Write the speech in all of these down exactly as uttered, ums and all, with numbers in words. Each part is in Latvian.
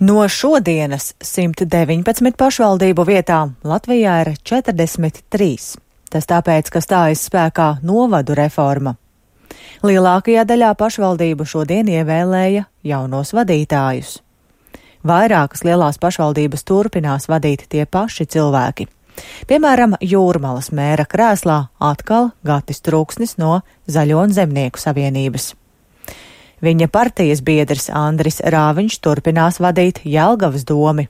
No šodienas simt deviņpadsmit pašvaldību vietām Latvijā ir četrdesmit trīs. Tas tāpēc, ka stājas spēkā novadu reforma. Lielākajā daļā pašvaldību šodien ievēlēja jaunos vadītājus. Vairākas lielās pašvaldības turpinās vadīt tie paši cilvēki. Piemēram, Jūrmalas mēra krēslā atkal Gatis Trūksnis no Zaļo un Zemnieku savienības. Viņa partijas biedrs Andris Rāviņš turpinās vadīt Jelgavas domi.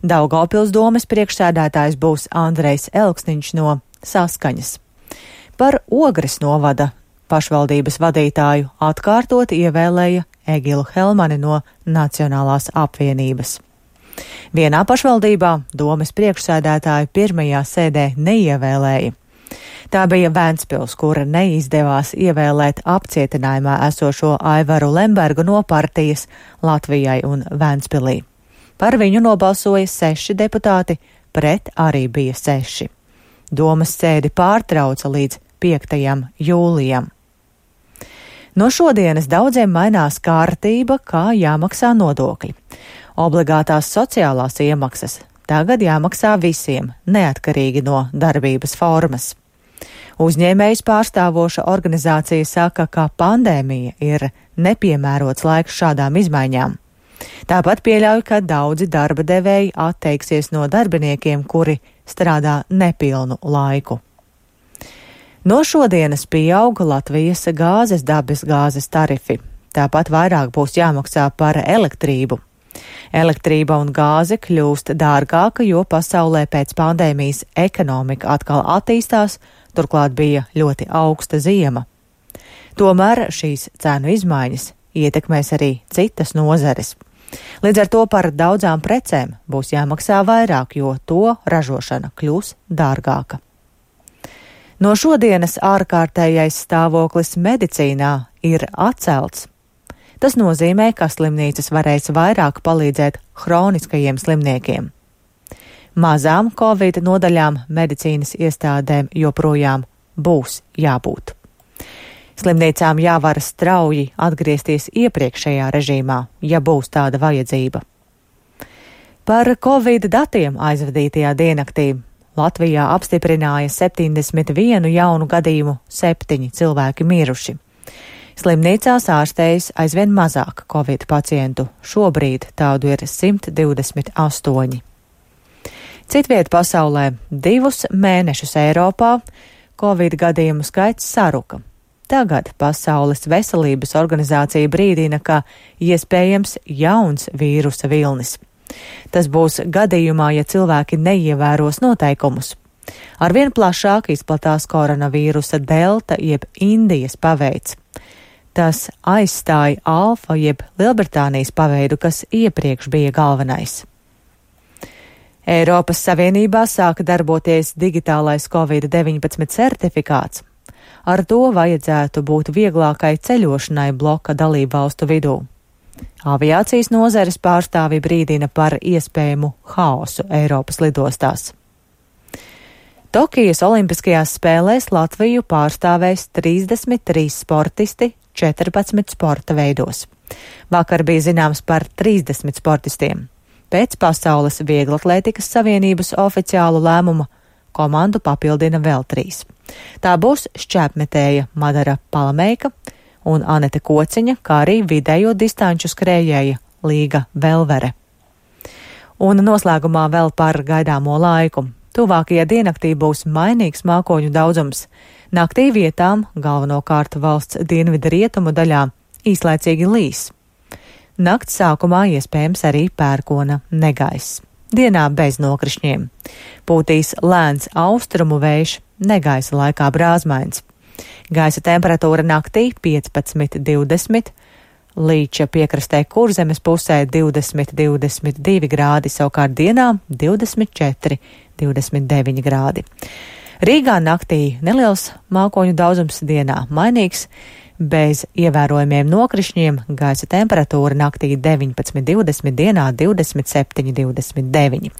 Daugavpils domes priekšsēdētājs būs Andrejs Elksniņš no Saskaņas. Par Ogres novada pašvaldības vadītāju atkārtot ievēlēja Egilu Helmani no Nacionālās apvienības. Vienā pašvaldībā domes priekšsēdētāju pirmajā sēdē neievēlēja. Tā bija Ventspils, kura neizdevās ievēlēt apcietinājumā esošo Aivaru Lembergu no partijas Latvijai un Ventspilī. Par viņu nobalsoja seši deputāti, pret arī bija seši. Domes sēdi pārtrauca līdz piektajam jūlijam. No šodienas daudziem mainās kārtība, kā jāmaksā nodokļi. Obligātās sociālās iemaksas tagad jāmaksā visiem, neatkarīgi no darbības formas. Uzņēmējus pārstāvoša organizācija saka, ka pandēmija ir nepiemērots laiks šādām izmaiņām. Tāpat pieļauj, ka daudzi darba devēji atteiksies no darbiniekiem, kuri strādā nepilnu laiku. No šodienas pieauga Latvijas gāzes dabas gāzes tarifi. Tāpat vairāk būs jāmaksā par elektrību. Elektrība un gāze kļūst dārgāka, jo pasaulē pēc pandēmijas ekonomika atkal attīstās, turklāt bija ļoti augsta ziema. Tomēr šīs cenu izmaiņas ietekmēs arī citas nozares. Līdz ar to par daudzām precēm būs jāmaksā vairāk, jo to ražošana kļūs dārgāka. No šodienas ārkārtējais stāvoklis medicīnā ir atcelts. Tas nozīmē, ka slimnīcas varēs vairāk palīdzēt hroniskajiem slimniekiem. Mazām Covid nodaļām medicīnas iestādēm joprojām būs jābūt. Slimnīcām jāvar strauji atgriezties iepriekšējā režīmā, ja būs tāda vajadzība. Par Covid datiem aizvadītajā diennaktī Latvijā apstiprināja septiņdesmit vienu jaunu gadījumu, septiņi cilvēki miruši. Slimnīcās ārstējas aizvien mazāk Covid pacientu, šobrīd tādu ir simt divdesmit astoņi. Citviet pasaulē divus mēnešus Eiropā Covid gadījumu skaits saruka. Tagad Pasaules veselības organizācija brīdina, ka iespējams jauns vīrusa vilnis. Tas būs gadījumā, ja cilvēki neievēros noteikumus. Arvien plašāk izplatās koronavīrusa delta jeb Indijas paveids. Tas aizstāja alfa jeb Lielbritānijas paveidu, kas iepriekš bija galvenais. Eiropas Savienībā sāka darboties digitālais Covid deviņpadsmit certifikāts. Ar to vajadzētu būt vieglākai ceļošanai bloka dalību valstu vidū. Aviācijas nozares pārstāvi brīdina par iespējamu haosu Eiropas lidostās. Tokijas Olimpiskajās spēlēs Latviju pārstāvēs trīsdesmit trīs sportisti četrpadsmit sporta veidos. Vakar bija zināms par trīsdesmit sportistiem. Pēc Pasaules vieglatlētikas savienības oficiālu lēmumu komandu papildina vēl trīs. Tā būs šķēpmetēja Madara Palameika un Anete Kociņa, kā arī vidējo distanču skrējēja Līga Velvere. Un noslēgumā vēl par gaidāmo laiku. Tuvākajā diennaktī būs mainīgs mākoņu daudzums. Naktī vietām, galvenokārt valsts dienvidu rietumu daļā, īslaicīgi līs. Nakts sākumā iespējams arī pērkona negaiss. Dienā bez nokrišņiem. Pūtīs lēns austrumu vējš, negaisa laikā brāzmains. Gaisa temperatūra naktī piecpadsmit divdesmit, Līča piekrastē Kurzemes pusē divdesmit divdesmit divi grādi, savukārt dienā divdesmit četri divdesmit deviņi grādi. Rīgā naktī neliels mākoņu daudzums, dienā mainīgs, bez ievērojumiem nokrišņiem, gaisa temperatūra naktī deviņpadsmit divdesmit, dienā divdesmit septiņi divdesmit deviņi.